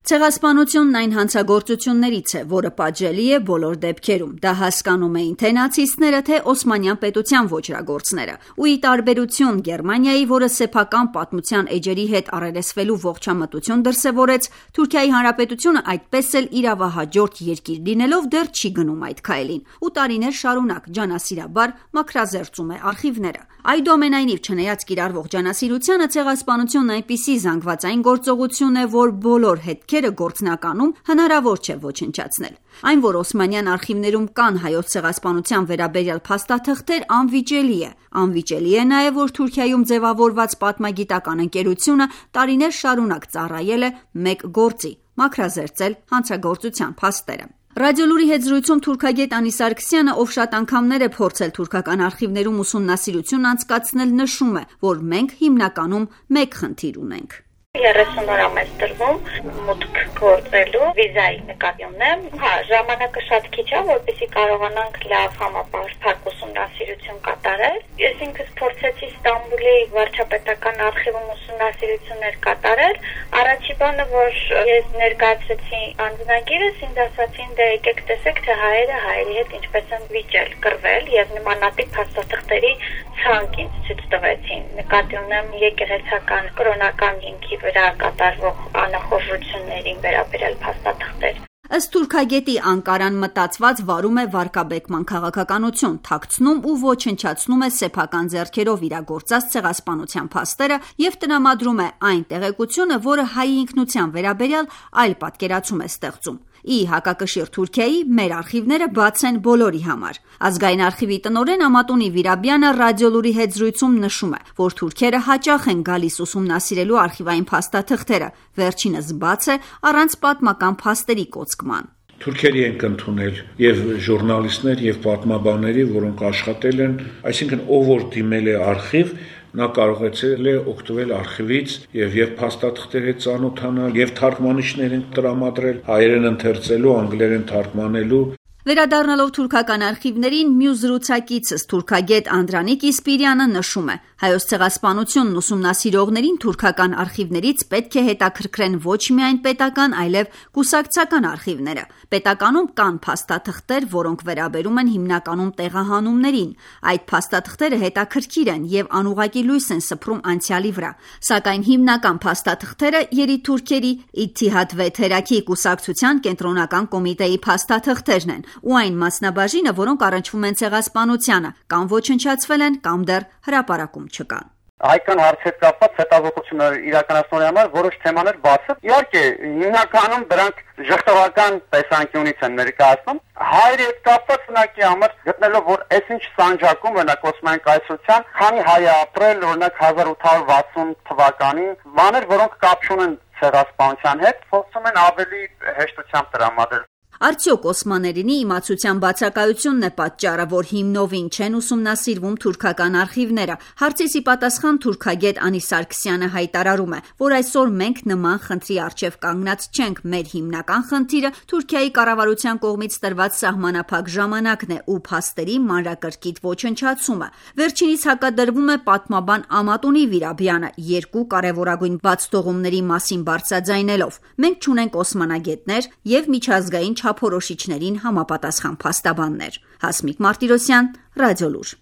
Ցեղասպանությունն այն հանցագործություններից է, որը պատժելի է բոլոր դեպքերում։ Դա հասկանում էին թե նացիստները, թե Օսմանյան պետության ոճրագործները։ Ու ի տարբերություն Գերմանիայի, որը սեփական պատմության էջերի հետ առերեսվելու ողջամտություն դրսևորեց, Թուրքիայի Հանրապետությունը այդպես էլ իրավահաջորդ երկիր լինելով դեռ չի գնում այդ քայլին ու տարիներ շարունակ ջանասիրաբար մաքրազերծում է արխիվները։ Այդուամենայնիվ, չնայած կիրառվող ջանասիրությանը, ցեղասպանությունն այնպիսի զանգվածային գործողություն է, որ բոլոր հետքերը գործնականում հնարավոր չէ ոչնչացնել։ Այն, որ Օսմանյան արխիվներում կան հայոց ցեղասպանության վերաբերյալ փաստաթղթեր, անվիճելի է։ Անվիճելի է նաև, որ Թուրքիայում ձևավորված պատմագիտական ընկերությունը տարիներ շարունակ ծառայել է մեկ գործի՝ մաքրազերծել հանցագործության փաստերը։ Ռադիոլուրի հետ զրույցում թուրքագետ Անի Սարգսյանը, ով շատ անգամներ է փորձել թուրքական արխիվներում ուսումնասիրություն անցկացնել, նշում է, որ մենք հիմնականում մեկ խնդիր ունենք։ 30 օր ամես տրվում մուտք գործելու վիզայի նկատի ունեմ։ Ժամանակը շատ քիչ է, որպեսզի կարողանանք լավ համապարփակ ուսումնասիրություն կատարել։ Ես ինքս փորձեցի Ստամբուլի վարչապետական արխիվում ուսումնասիրություններ կատարել։ Առաջի բանը, որ ես ներկայացրեցի անձնագիրս, ինձ ասացին, դե եկեք տեսեք, թե հայերի հետ ինչպես են վիճել, կռվել եւ նմանատիպ փաստաթղթերի ցանկ ինձ ցույց տվեցին։ Նկատի ունեմ եկեղեցական կրոնական հիմքի վրա կատարվող անախորժություններին վերաբերյալ փաստաթղթեր։ Ըստ թուրքագետի, Անկարան մտածված վարում է վարկաբեկման քաղաքականություն, թաքցնում ու ոչնչացնում է սեփական ձեռքերով իրագործած ցեղասպանության փաստերը եւ տրամադրում է այն տեղեկությունը, որը հայի ինքնության վերաբերյալ այլ պատկերացում է ստեղծում։ Ի հակակշիռ Թուրքիայի մեր արխիվները բաց են բոլորի համար։ Ազգային արխիվի տնօրեն Ամատունի Վիրաբյանը ռադիոլուրի հետ զրույցում նշում է, որ թուրքերը հաճախ են գալիս ուսումնասիրելու արխիվային փաստաթղթերը, վերջինս բաց է առանց պատմական փաստերի կոծկման։ Թուրքերի ենք ընդունել եւ ժուրնալիստներ եւ պատմաբանների, որոնք աշխատել են, այսինքն ով որ դիմել է արխիվ, նա կարողացել է օգտվել արխիվից եւ փաստաթղթերի ծանոթանալ եւ թարգմանիչներին տրամադրել, հայերեն ընթերցելու, անգլերեն թարգմանելու։ Վերադառնալով թուրքական արխիվներին, մյուս զրուցակիցս թուրքագետ Անդրանիկ Իսպիրյանը նշում է. հայոց ցեղասպանությունն ուսումնասիրողներին թուրքական արխիվներից պետք է հետաքրքրեն ոչ միայն պետական, այլև կուսակցական արխիվները։ Պետականում կան փաստաթղթեր, որոնք վերաբերում են հիմնականում տեղահանումներին։ Այդ փաստաթղթերը հետաքրքիր են եւ անուղղակի լույս են սփռում անցյալի վրա։ Սակայն հիմնական փաստաթղթերը երիտուրքերի Իթիհադ Վեթերաքի կուսակցության կենտրոնական կոմիտեի փաստաթղթերն են ու այն մասնաբաժինը, որոնք առնչվում են ցեղասպանությանը, կամ ոչնչացվել են, կամ դեռ հրապարակում չկան։ Հայկական հարցի հետ կապված հետազոտություններ իրականացնելու համար որոշ թեմաներ բաց են։ Իհարկե, հիմնականում դրանք ժխտողական տեսանկյունից են ներկայացնում։ Հայերի հետ կապված ունակի համար գտնելով, որ այսինչ սանջակում օրինակ Օսմանյան կայսրության, քանի հայ ապրել, օրինակ 1860 թվականին, բաներ, որոնք կապ չունեն ցեղասպանության հետ, փորձում են ավելի հեշտությամբ տրամադրել։ Արդյոք օսմաներինի իմացության բացակայությունն է պատճառը, որ հիմնովին չեն ուսումնասիրվում թուրքական արխիվները։ Հարցիս ի պատասխան թուրքագետ Անի Սարգսյանը հայտարարում է, որ այսօր մենք նման խնդրի առջև կանգնած չենք, մեր հիմնական խնդիրը Թուրքիայի կառավարության կողմից տրված սահմանափակ ժամանակն է ու փաստերի մանրակրկիտ ոչնչացումը։ Վերջինիս հակադրվում է պատմաբան Ամատունի Վիրաբյանը, երկու կարևորագույն բացթողումների մասին բարձրաձայնելով։ Մենք չունենք օսմանագետներ եւ միջազգային չափորոշիչներին համապատասխան փաստաբաններ։ Հասմիկ Մարտիրոսյան, Ռադիոլուր։